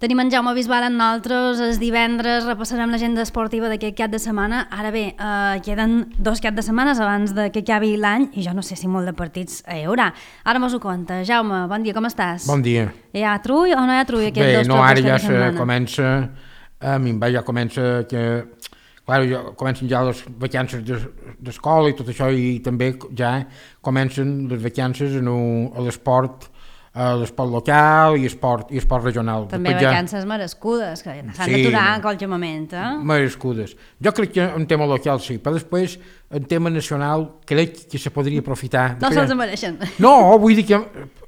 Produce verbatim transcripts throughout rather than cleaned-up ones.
Tenim en Jaume Bisbal amb nosaltres, el divendres repassarem l'agenda esportiva d'aquest cap de setmana. Ara bé, eh, queden dos cap de setmanes abans de que acabi l'any i jo no sé si molt de partits hi haurà. Ara mos ho conta. Jaume, bon dia, com estàs? Bon dia. Hi ha trull o no hi ha trull aquests Bé, dos no, props ara ja de setmana? comença, a minvar, ja comença que, clar, ja comencen ja les vacances d'escola i tot això, i també ja comencen les vacances en un, a l'esport, a l'esport local i esport, i esport regional. També Després vacances ja... merescudes, que s'han sí, d'aturar en qualsevol moment, eh? Merescudes. Jo crec que en tema local sí, però després en tema nacional crec que se podria aprofitar. No que... se'ls mereixen. No, vull dir que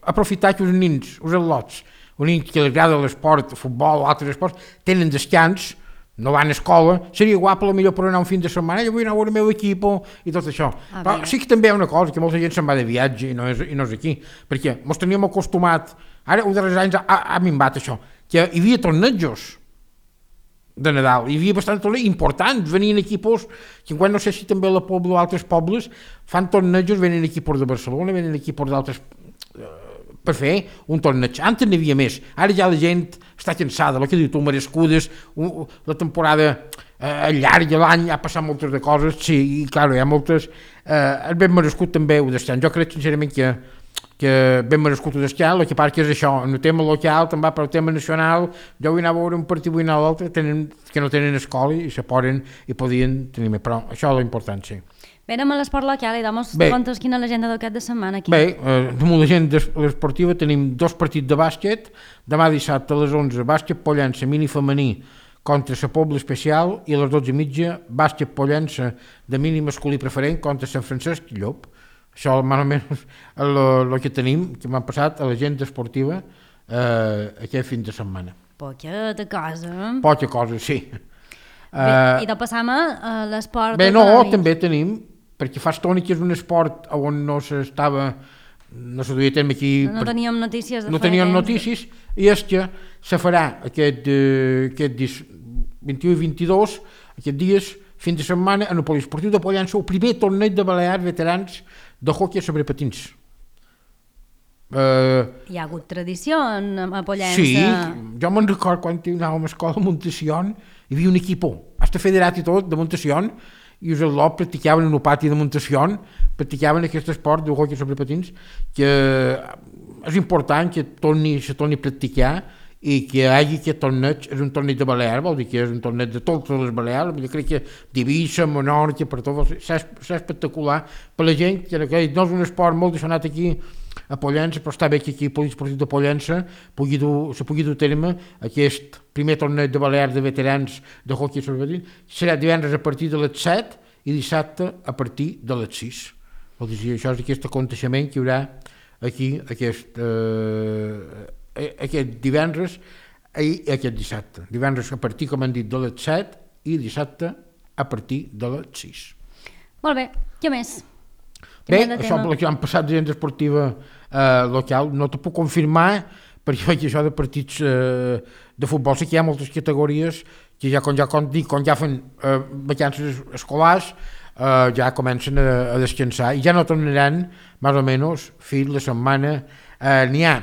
aprofitar que els nins, els al·lots, els nins que els agrada l'esport, el futbol o altres esports, tenen descans, no van a escola, seria guapo millor per anar un fin de setmana, jo vull anar a veure el meu equip i tot això. Ah, però bé. Sí que també hi ha una cosa, que molta gent se'n va de viatge i no és, i no és aquí, perquè ens teníem acostumat, ara un darrers anys ha, ha minvat això, que hi havia tornejos de Nadal, hi havia bastant tornejos importants, venien equipos, que quan no sé si també a la Pobla o altres pobles fan tornejos, venen equipos de Barcelona, venen equipos d'altres per fer un torneig. Antes n'hi havia més, ara ja la gent està cansada, el que diu tu, merescudes, un, la temporada eh, llarga, l'any ha passat moltes de coses, sí, i clar, hi ha moltes, eh, és ben merescut també ho d'estan. Jo crec sincerament que, que ben merescut ho d'estan, el que part que és això, en el tema local, també per el tema nacional, jo vull anar a veure un partit, vull anar a l'altre, que no tenen escola i se poden i podien tenir més, però això és l'important, sí. Bé, anem a l'esport local i damos comptes quina és l'agenda del cap de setmana aquí. Bé, eh, damunt l'agenda esportiva tenim dos partits de bàsquet, demà dissabte a les onze, bàsquet Pollença mini femení contra la Pobla Especial, i a les dotze i mitja, bàsquet Pollença de mini masculí preferent contra Sant Francesc i Llop. Això més o menys el que tenim, que m'ha passat a l'agenda esportiva eh, aquest fin de setmana. Poqueta cosa. Poca cosa, sí. Bé, uh, i de passam a l'esport... Bé, no, també tenim, perquè fa estona que és un esport on no s'estava, no se duia a terme aquí... No, no teníem notícies de No teníem notícies, i és que se farà aquest, eh, aquest vint-i-u i vint-i-dos, aquests dies, fin de setmana, en el poliesportiu de Pollença, el primer torneig de Balears veterans de hoquei sobre patins. Uh, Hi ha hagut tradició a Pollença? Sí, jo me'n record quan anàvem a escola a Montación, hi havia un equipó, hasta federat i tot, de Montación, i els al·lots practicaven en el pati de Montación, practicaven aquest esport de hoquei sobre patins, que és important que torni, se torni a practicar i que hi hagi aquest torneig, és un torneig de Balears, vol dir que és un torneig de totes les Balears, jo crec que d'Eivissa, Menorca, per tot, és espectacular per la gent, que no és un esport molt deixonat aquí a Pollença, però està bé que aquí el poliesportiu de Pollença pugui dur, se pugui dur a terme aquest primer torneig de Balears de veterans de hoquei sobre patins. Serà divendres a partir de les set i dissabte a partir de les sis. Vol dir, això és aquest aconteixement que hi haurà aquí aquest, eh, aquest divendres i aquest dissabte. Divendres a partir, com han dit, de les set i dissabte a partir de les sis. Molt bé, què més? Bé, això per que han passat d'agenda esportiva eh, local, no t'ho puc confirmar, perquè això de partits eh, de futbol sí que hi ha moltes categories que ja, com ja, com dic, quan ja fan eh, vacances escolars, eh, ja comencen a, a descansar i ja no tornaran, més o menys, fins la setmana, eh, n'hi ha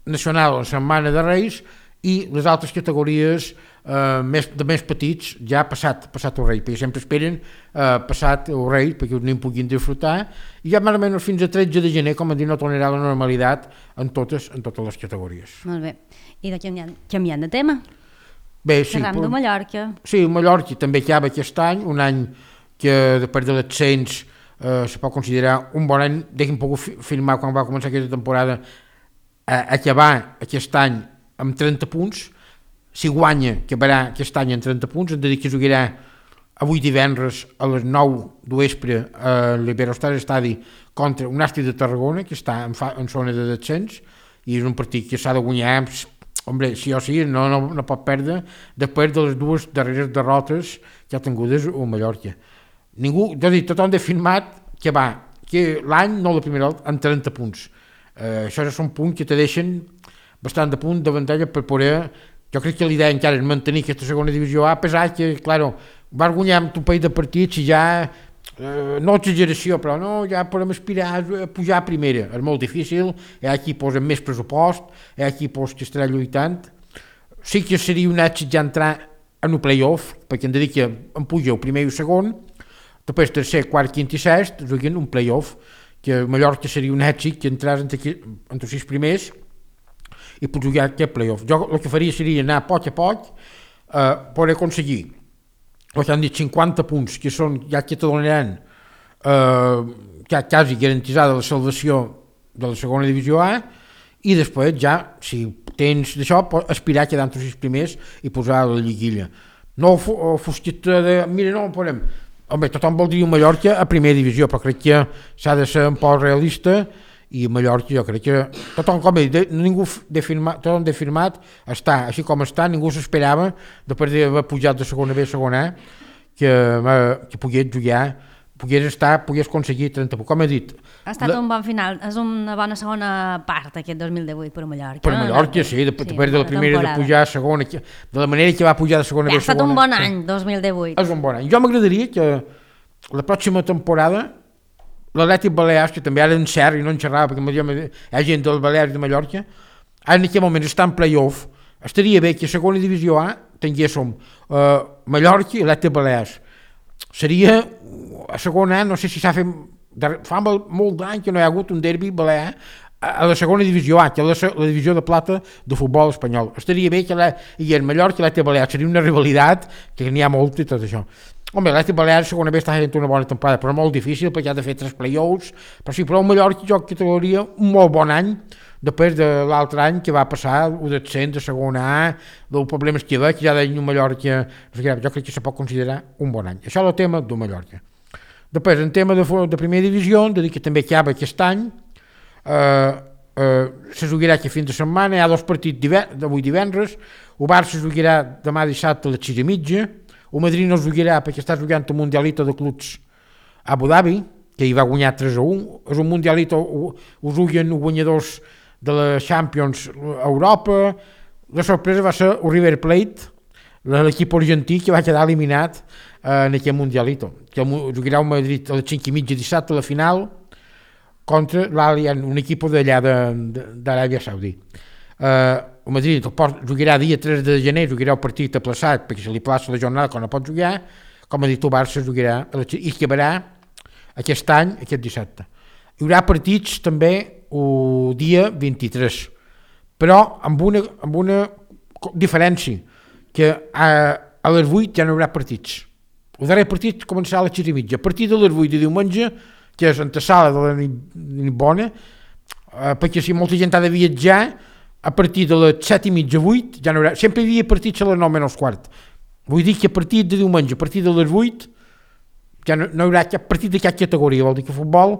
nacional la setmana de Reis i les altres categories eh, més, de més petits ja passat, passat el rei, perquè sempre esperen eh, passat el rei perquè els nens puguin disfrutar, i ja més o menys fins a tretze de gener, com a dir, no tornarà la normalitat en totes, en totes les categories. Molt bé, i de canviant, canviant de tema? Bé, sí, Parlem de Mallorca. Sí, Mallorca també acaba aquest any, un any que després de l'ascens eh, se pot considerar un bon any, deixem pogut firmar quan va començar aquesta temporada, eh, acabar aquest any amb trenta punts, si guanya acabarà aquest any amb trenta punts, hem de dir que jugarà avui divendres a les nou de vespre a l'Iberostar Estadi contra un Nàstic de Tarragona, que està en, fa, en zona de descens, i és un partit que s'ha de guanyar, hombre, sí o sí, no, no, no pot perdre, després de les dues darreres derrotes que ha tingudes a Mallorca. Ningú, és a dir, tothom ha firmat que va, que l'any, no la primera volta, amb trenta punts. Eh, això és un punt que te deixen bastant de punt d'avantatge per poder, jo crec que l'idea encara és mantenir aquesta segona divisió A, a pesar que, claro, vas guanyar amb un parell de partits i ja, eh, no exageració, però no, ja podem aspirar a pujar a primera, és molt difícil, hi ha equips amb més pressupost, hi ha equips que estaran lluitant, sí que seria un èxit ja entrar en el play-off, perquè hem de dir que em puja el primer i el segon, després tercer, quart, quint i sest, juguen un play-off, que Mallorca seria un èxit que entràs entre, entre els sis primers i pots jugar aquest play-off. Jo el que faria seria anar a poc a poc, eh, per aconseguir el que han dit cinquanta punts, que són ja que te donaran eh, quasi garantitzada la salvació de la segona divisió A, i després ja, si tens d'això, pots aspirar a quedar entre els sis primers i posar la lliguilla. No el fosqueta de, mira, no, podem. Home, tothom voldria un Mallorca a primera divisió, però crec que s'ha de ser un poc realista, i Mallorca jo crec que tothom, com he dit, ningú de firmat, tothom de firmat està així com està, ningú s'esperava després d'haver pujat de segona B a segona A que, que pogués jugar, pogués estar, pogués aconseguir trenta punts, com he dit. Ha estat la, un bon final, és una bona segona part aquest dos mil divuit per Mallorca. Per Mallorca, sí, després sí, de la primera temporada. De pujar a segona, de la manera que va pujar de segona B a segona. Ha estat un bon any, dos mil divuit. És un bon any. Jo m'agradaria que la pròxima temporada l'Atlètic Balears, que també ara en cert i no en xerrava perquè hi ha gent del Balears i de Mallorca, ara en aquest moment està en play-off, estaria bé que a segona divisió A tinguéssim uh, Mallorca i Atlètic Balears. Seria a segona A, no sé si s'ha fet, fa molt d'any que no hi ha hagut un derbi balear a la segona divisió A, que és la, la divisió de plata de futbol espanyol. Estaria bé que la, i en Mallorca i l'Atlètic Balears seria una rivalitat que n'hi ha molt i tot això. Home, l'Atlètic Balears segona vegada està fent una bona temporada, però molt difícil perquè ha de fer tres play-offs, però sí, però el Mallorca jo categoria un molt bon any després de l'altre any que va passar el descens de segona A, dels problemes que hi havia, que ja deien un Mallorca, jo crec que se pot considerar un bon any. Això és el tema del Mallorca. Després, en tema de, de primera divisió, de dir que també acaba aquest any, eh, eh, se jugarà aquest fin de setmana, hi ha dos partits d'avui divendres, el Barça se jugarà demà dissabte a les sis i mitja, el Madrid no es jugarà perquè està jugant el Mundialito de Clubs a Abu Dhabi, que hi va guanyar tres a un. És un Mundialito, ho, ho juguen els guanyadors de la Champions a Europa. La sorpresa va ser el River Plate, l'equip argentí que va quedar eliminat eh, en aquest Mundialito, que jugarà el Madrid a les cinc i mitja dissabte a la final contra l'Allianz, un equip d'allà d'Aràbia Saudita. Eh, el Madrid jugarà dia tres de gener, jugarà el partit aplaçat perquè se li plaça la jornada quan no pot jugar, com ha dit el Barça jugarà i acabarà aquest any, aquest dissabte. Hi haurà partits també el dia vint-i-tres, però amb una, amb una diferència, que a, a les vuit ja no hi haurà partits. El darrer partit començarà a les sis i mitja. A partir de les vuit de diumenge, que és antesala de la nit, nit bona, eh, perquè si molta gent ha de viatjar, a partir de les set i mitja, vuit, ja no haurà, sempre hi havia partits a les nou menys quart. Vull dir que a partir de diumenge, a partir de les vuit, ja no, no hi haurà cap partit de cap categoria, vol dir que el futbol,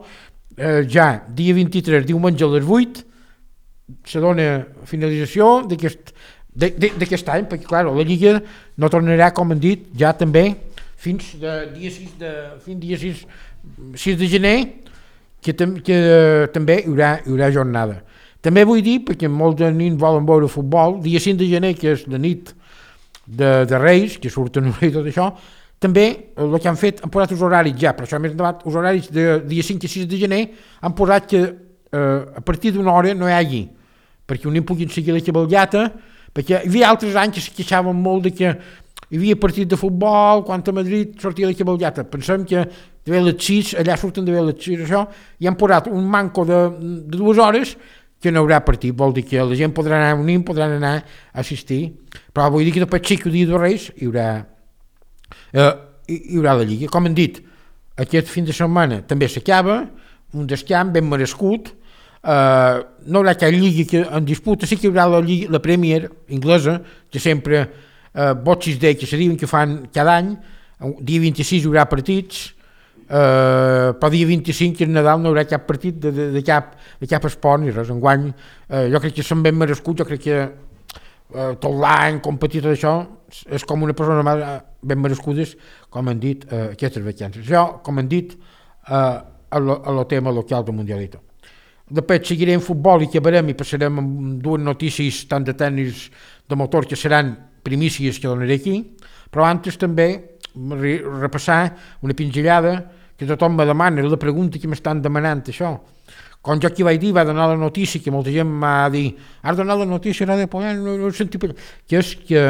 eh, ja dia vint-i-tres, diumenge a les vuit, se dona finalització d'aquest any, perquè clar, la Lliga no tornarà, com han dit, ja també fins de dia sis de, fins dia sis, sis de gener, que, tam, que eh, també hi haurà, hi haurà jornada. També vull dir, perquè molts de nins volen veure futbol, dia cinc de gener, que és la nit de, de Reis, que surten i tot això, també el que han fet, han posat els horaris ja, però això més endavant, els horaris de dia cinc i sis de gener han posat que eh, a partir d'una hora no hi hagi, perquè un nen puguin seguir la cavalgata, perquè hi havia altres anys que es queixaven molt de que hi havia partit de futbol, quan a Madrid sortia la cavalgata. Pensem que de les sis, allà surten de les sis, això, i han posat un manco de, de dues hores que no hi haurà partit, vol dir que la gent podrà anar, un nen podrà anar a assistir, però vull dir que després sí que el dia de Reis hi haurà, eh, hi haurà la Lliga. Com han dit, aquest fin de setmana també s'acaba, un descamp ben merescut, eh, no hi haurà cap Lliga que en disputa, sí que hi haurà la, Lliga, la Premier inglesa, que sempre eh, Boxing Day, que se diuen que fan cada any, dia vint-i-sis hi haurà partits, Uh, però dia vint-i-cinc que és Nadal no hi haurà cap partit de, de, de, cap, de cap esport ni res. Enguany uh, jo crec que són ben merescuts, jo crec que uh, tot l'any competir tot això és com una persona ben merescudes, com han dit uh, aquestes vacances. Això, com han dit, uh, a lo, a lo tema local del Mundialito. Després seguirem futbol i acabarem i passarem amb dues notícies tant de tenis de motor que seran primícies que donaré aquí, però antes també repassar una pinzellada que tothom me demana, la pregunta que m'estan demanant això, quan jo aquí vaig dir, va donar la notícia, que molta gent m'ha dit, has donat la notícia, no, no, no senti, que és que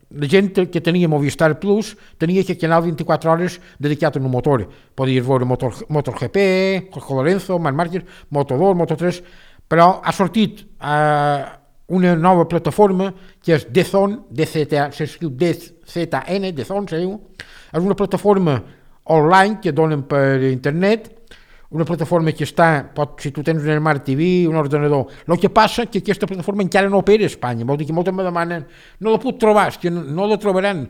la gent que tenia Movistar Plus tenia aquest canal vint-i-quatre hores dedicat a un motor. Podies veure Motor, MotoGP, Jorge Lorenzo, Marc Márquez, Moto dos, Moto tres, però ha sortit eh, una nova plataforma que és D Z N, D Z N, D Z N, se diu. És una plataforma online que donen per internet, una plataforma que està, pot, si tu tens un Smart T V, un ordenador. El que passa és que aquesta plataforma encara no opera a Espanya, vol dir que moltes me demanen, no la puc trobar, és que no, no la trobaran.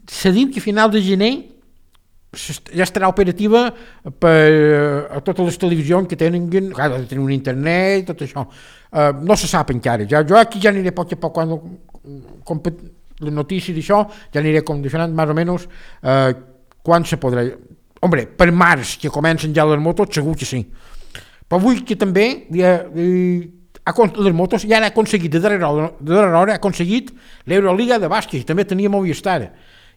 Se diu que a final de gener ja estarà operativa per a totes les televisions que tenen, clar, de tenir un internet, tot això. Uh, no se sap encara. Ja, jo aquí ja aniré a poc a poc, quan compet, les notícies d'això, ja aniré condicionant més o menys uh, quan se podrà. Hombre, per març, que comencen ja les motos, segur que sí. Però vull que també ja, ha, les motos ja han aconseguit, de darrere hora, de darrere hora, ha aconseguit l'Euroliga de bàsquet, també tenia Movistar.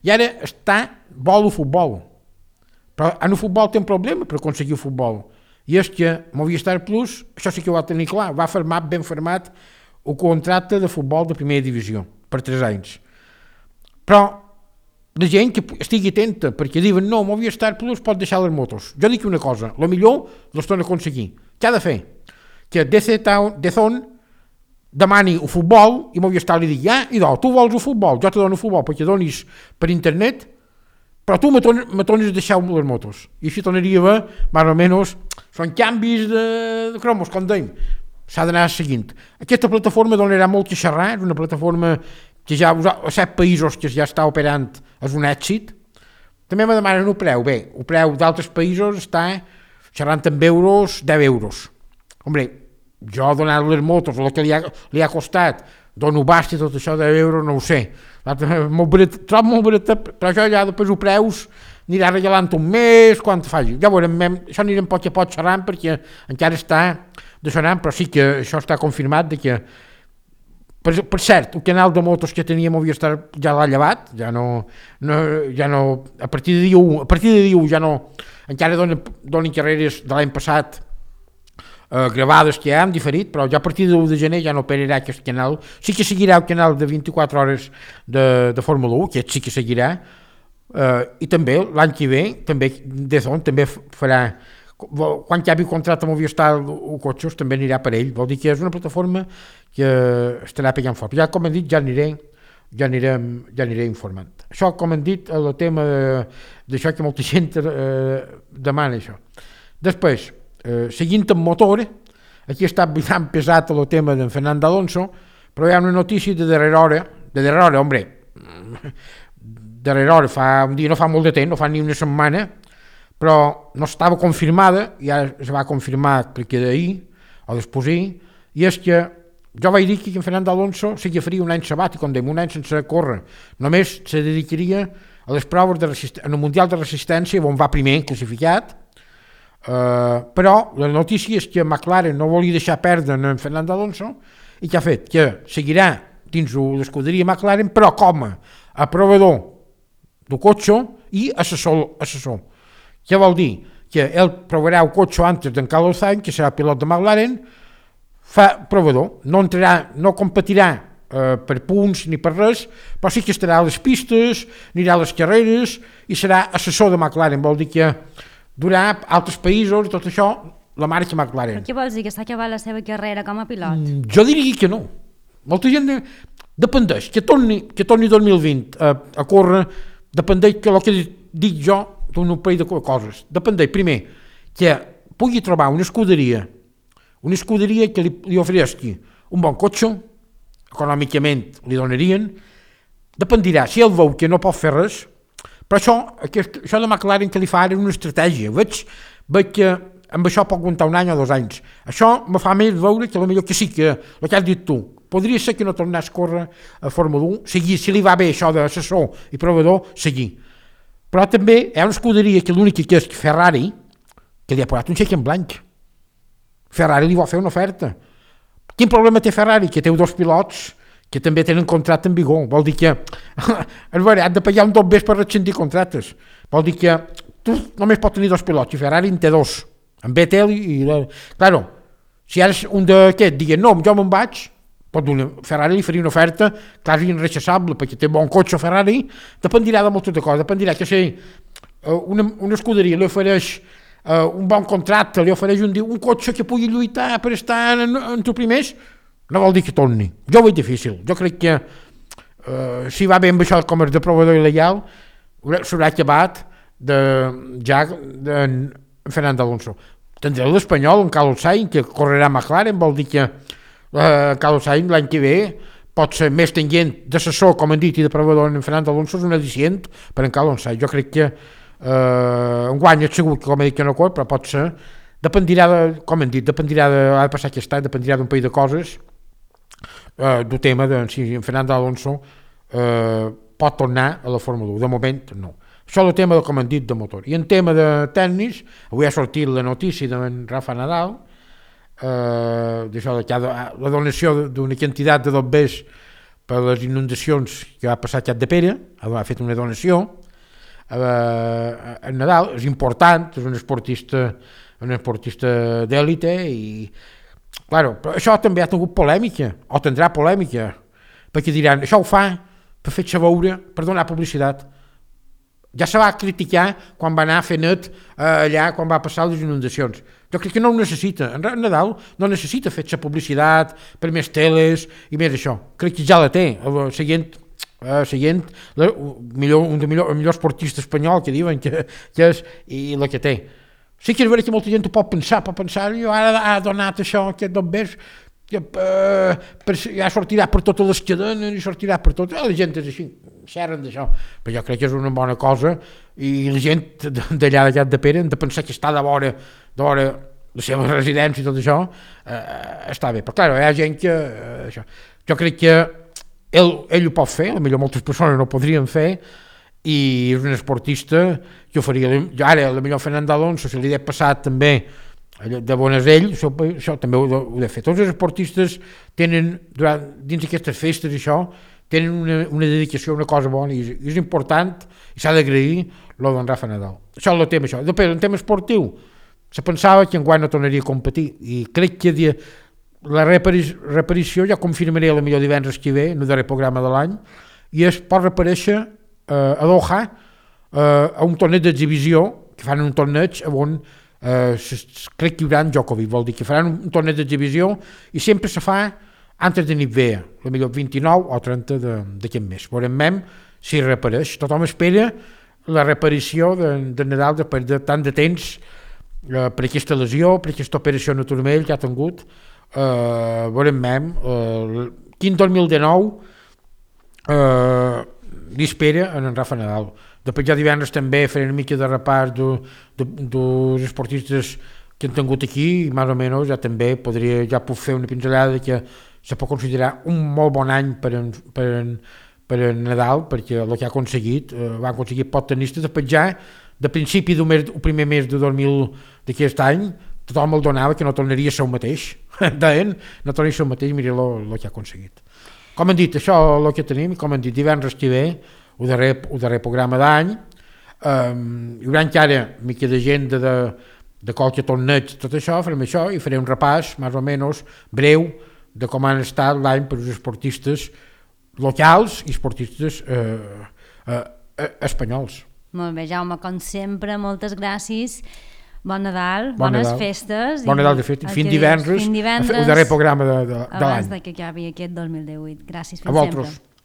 I ara està vol el futbol. Però en el futbol té un problema per aconseguir el futbol. I és que Movistar Plus, això sí que ho va tenir clar, va firmar ben firmat el contracte de futbol de primera divisió, per tres anys. Però la gent que estigui atenta, perquè diuen no, Movistar Plus pot deixar les motos. Jo dic una cosa, el millor les torna a aconseguir. Què ha de fer? Que D Z N demani el futbol i Movistar li digui, ah, idò, tu vols el futbol, jo te dono el futbol perquè donis per internet, però tu me tornes a deixar les motos. I així tornaria a haver, més o menys, són canvis de, de cromos, com dèiem. S'ha d'anar seguint. Aquesta plataforma donarà molt que xerrar, és una plataforma que ja a set països que ja està operant és un èxit. També me demanen el preu. Bé, el preu d'altres països està xerrant amb euros, deu euros. Hombre, jo donant les motos, el que li ha, li ha costat, dono bast i tot això de euros, no ho sé. Molt barat, trobo molt barat, però això ja després ho preus, anirà regalant un mes, quan te faci. Ja veurem, això anirem poc a poc xerrant perquè encara està de sonant, però sí que això està confirmat de que Per, per cert, el canal de motos que tenia Movistar ja l'ha llevat, ja no, no, ja no, a partir de dia u, a partir de dia u ja no, encara donen, donen carreres de l'any passat eh, gravades que ja han diferit, però ja a partir de l'u de gener ja no operarà aquest canal. Sí que seguirà el canal de vint-i-quatre hores de, de Fórmula u, que sí que seguirà, eh, i també l'any que ve, també D Z N també farà, quan acabi el contracte amb Movistar o cotxes també anirà per ell, vol dir que és una plataforma que estarà pegant fort. Ja com hem dit, ja aniré, ja anirem, ja aniré informant. Això, com hem dit, el tema d'això que molta gent eh, demana això. Després, eh, seguint amb motor, aquí està bastant pesat el tema d'en Fernando Alonso, però hi ha una notícia de darrera hora, de darrera hora, hombre, darrera hora, fa un dia, no fa molt de temps, no fa ni una setmana, però no estava confirmada, i ara es va confirmar perquè d'ahir, o després d'ahir, i és que jo vaig dir que en Fernando Alonso s'agafaria un any sabàtic, com dèiem, un any sense córrer, només se dedicaria a les proves de resistència, en el Mundial de Resistència, on va primer classificat, eh, però la notícia és que McLaren no volia deixar perdre en Fernando Alonso, i que ha fet que seguirà dins l'escuderia McLaren, però com a provador del cotxe i assessor, assessor. Què vol dir? Que ell provarà el cotxe antes d'en Carlos Sainz, que serà pilot de McLaren, fa provador, no entrarà, no competirà eh, per punts ni per res, però sí que estarà a les pistes, anirà a les carreres i serà assessor de McLaren, vol dir que durà altres països i tot això, la marca McLaren. Però què vols dir, que s'ha acabat la seva carrera com a pilot? Mm, jo diria que no. Molta gent de... dependeix, que torni, que torni dos mil vint a, a córrer, dependeix que el que dic jo d'un parell de coses. Dependeix, primer, que pugui trobar una escuderia, una escuderia que li, li ofereixi un bon cotxe, econòmicament li donarien, dependirà, si ell veu que no pot fer res, però això, aquest, això de McLaren que li fa ara una estratègia, veig, veig que amb això pot aguantar un any o dos anys. Això me fa més veure que potser que sí, que el que has dit tu, podria ser que no tornés a córrer a Fórmula u, seguir, si li va bé això d'assessor i provador, seguir. Però també hi ha una escuderia que l'única que és Ferrari, que li ha posat un xec en blanc. Ferrari li vol fer una oferta. Quin problema té Ferrari? Que té dos pilots que també tenen contracte en vigor. Vol dir que és veure, han de pagar un dos bes per rescindir contractes. Vol dir que tu només pots tenir dos pilots i Ferrari en té dos. En Vettel i... Claro, Si ara un d'aquests digui no, jo me'n vaig, pot una, Ferrari li faria una oferta quasi irrechassable, perquè té bon cotxe Ferrari, dependirà de moltes de coses, dependirà que si una, una escuderia li ofereix uh, un bon contracte, li ofereix un, un cotxe que pugui lluitar per estar en, en tu primers, no vol dir que torni. Jo ho veig difícil. Jo crec que uh, si va bé amb això com és de proveïdor il·legal, s'haurà acabat de, ja de Fernando Alonso. Tindrà l'espanyol, en Carlos Sainz, que correrà a McLaren, vol dir que uh, Carlos Sainz l'any que ve pot ser més tendent d'assessor, com han dit, i de proveïdor en Fernando Alonso, és un al·licient per en Carlos Sainz. Jo crec que uh, un guany és segur que, com he dit, que no cor, però pot ser, dependirà de, com han dit, dependirà de, ha de passar aquest any, dependirà d'un país de coses, uh, del tema de si en Fernando Alonso uh, pot tornar a la Fórmula un. De moment, no. Això és el tema, com han dit, de motor. I en tema de tècnics, avui ha sortit la notícia de Rafa Nadal, eh, d'això de cada, la donació d'una quantitat de dobbers per les inundacions que va passar a Capdepera, ha fet una donació, eh, en Nadal, és important, és un esportista, un esportista d'èlite, i, claro, però això també ha tingut polèmica, o tindrà polèmica, perquè diran, això ho fa per fer-se veure, per donar publicitat. Ja se va criticar quan va anar a fer net eh, allà, quan va passar les inundacions. Jo crec que no ho necessita. En Nadal no necessita fer-se publicitat per més teles i més això. Crec que ja la té. El següent, eh, següent la, millor, un del millor, el millor esportista espanyol que diuen que, que és, i la que té. Sí que és veritat que molta gent ho pot pensar, pot pensar, jo ara ha donat això, aquest dobbers, que uh, per, ja sortirà per totes les cadenes i sortirà per tot, la gent és així, xerren d'això, però jo crec que és una bona cosa i la gent d'allà de Capdepera han de pensar que està de vora, de vora la seva residència i tot això, uh, està bé, però clar, hi ha gent que uh, això. Jo crec que ell, ell ho pot fer, potser moltes persones no ho podrien fer, i és un esportista que ho faria, ara potser Fernando Alonso se li ha passat també de Bonasell, això, això també ho, ho he fet. Tots els esportistes tenen, durant, dins d'aquestes festes i això, tenen una, una dedicació a una cosa bona i és, i és important i s'ha d'agrair lo d'en Rafa Nadal. Això és el tema, això. Després, en tema esportiu, se pensava que enguany no tornaria a competir i crec que dia, la reparició ja confirmaré el millor divendres que ve, en el darrer programa de l'any, i es pot reparèixer eh, a Doha eh, a un torneig d'exhibició, que fan un torneig on Uh, crec que hi haurà en Djokovic, vol dir que faran un, un torneig d'exhibició i sempre se fa antes de Nivea, potser vint-i-nou o trenta d'aquest mes. Veurem si repareix. Tothom espera la reparició de, de Nadal després de tant de temps uh, per aquesta lesió, per aquesta operació en el turmell que ha tingut. Uh, veurem uh, quin dos mil dinou uh, li espera en en Rafa Nadal. Després ja divendres també faré una mica de repàs dels de, de, esportistes que han tingut aquí i més o menys ja també podria, ja puc fer una pinzellada que se pot considerar un molt bon any per en, per en, per en Nadal, perquè el que ha aconseguit, eh, va aconseguir pocs tenistes, després ja de principi del mes, el primer mes de dos mil d'aquest any tothom el donava que no tornaria a ser el mateix, deien, no tornaria a ser el mateix, mira el que ha aconseguit. Com han dit, això és el que tenim, com han dit, divendres que ve, el darrer, el darrer programa d'any, um, hi haurà encara mica de gent de, de, de qualque torneig, tot això, farem això i faré un repàs, més o menys, breu, de com han estat l'any per als esportistes locals i esportistes eh, eh, eh, espanyols. Molt bé, Jaume, com sempre, moltes gràcies. Bon Nadal, bon bones Nadal. festes. Bon Nadal, de fet, fins divendres, divendres, el darrer programa de, de, de l'any. Abans que acabi aquest dos mil divuit. Gràcies, fins a vosaltres. sempre.